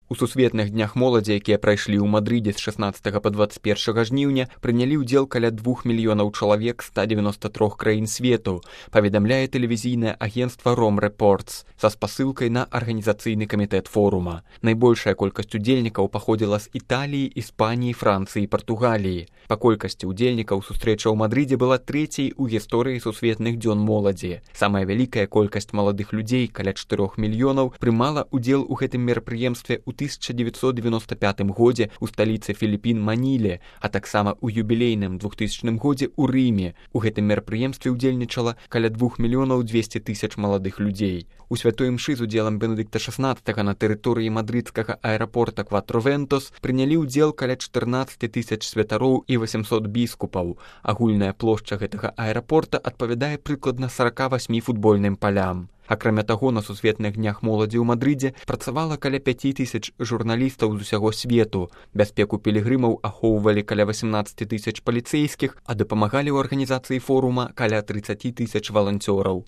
У сусветных днях моладзі, якія прайшлі ў Мадрыдзе з 16 па 21 жніўня, прынялі ўдзел каля 2 мільёнаў чалавек з 193 краін свету, паведамляе тэлевізійнае агенцтва Rome Reports са спасылкай на арганізацыйны камітэт форума. Найбольшая колькасць удзельнікаў паходзіла з Італіі, Іспаніі, Францыі і Партугаліі. Па колькасці удзельнікаў сустрэча ў Мадрыдзе была трэцяй у гісторыі сусветных дзён моладзі. Самая вялікая колькасць маладых людзей, каля 4 мільёнаў, прымала ўдзел у гэтым мерапрыемстве ў 1995 годзе у сталіцы Філіпін Маніле, а таксама ў юбілейным 2000 годзе ў Рыме. У гэтым мерапрыемстве ўдзельнічала каля 2 мільёнаў 200 тысяч маладых людзей. У святой імшы з удзелам Бенедыкта XVI на тэрыторыі мадрыдскага аэрапорта Кватровентос прынялі ўдзел каля 14 тысяч святароў і 800 біскупаў. Агульная плошча гэтага аэрапорта адпавядае прыкладна 48 футбольным палям. Акрамя таго, на сусветных днях моладзі ў Мадрыдзе працавала каля 5000 журналістаў з усяго свету. Бяспеку пілігрымаў ахоўвалі каля 18 тысяч паліцэйскіх, а дапамагалі ў арганізацыі форума каля 30 тысяч валанцёраў.